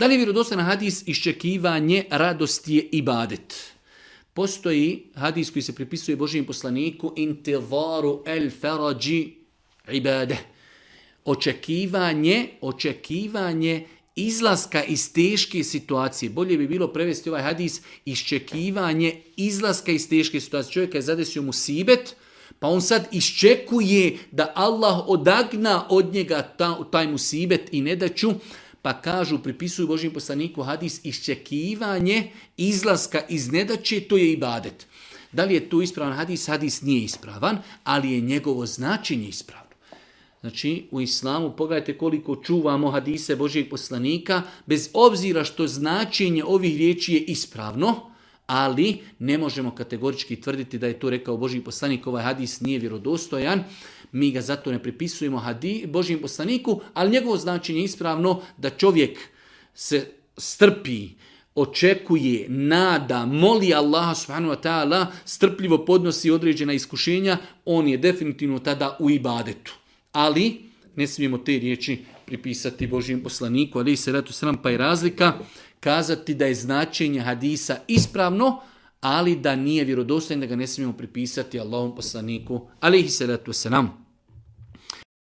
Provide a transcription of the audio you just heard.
Da li je vjerodostojan hadis iščekivanje radosti je ibadet? Postoji hadis koji se pripisuje Božijem poslaniku intivaru el farađi ibade. Očekivanje izlaska iz teške situacije. Bolje bi bilo prevesti ovaj hadis iščekivanje izlaska iz teške situacije. Čovjek je zadesio musibet, pa on sad iščekuje da Allah odagna od njega taj musibet i nedaću, pa kažu, pripisuju Božijem poslaniku hadis iščekivanje izlaska iz nedaće, to je ibadet. Da li je to ispravan hadis? Hadis nije ispravan, ali je njegovo značenje ispravno. Znači, u islamu pogledajte koliko čuvamo hadise Božijeg poslanika, bez obzira što značenje ovih riječi je ispravno, ali ne možemo kategorički tvrditi da je to rekao Božji poslanik, ovaj hadis nije vjerodostojan, mi ga zato ne pripisujemo Božjem poslaniku, ali njegovo značenje je ispravno da čovjek se strpi, očekuje, nada, moli Allaha subhanahu wa ta'ala, strpljivo podnosi određena iskušenja, on je definitivno tada u ibadetu. Ali ne smijemo te riječi pripisati Božjem poslaniku, ali se ratu sram, pa je razlika kazati da je značenje hadisa ispravno, ali da nije vjerodostojan, da ga ne smijemo pripisati Allahom poslaniku, alejhi salatu vesselam.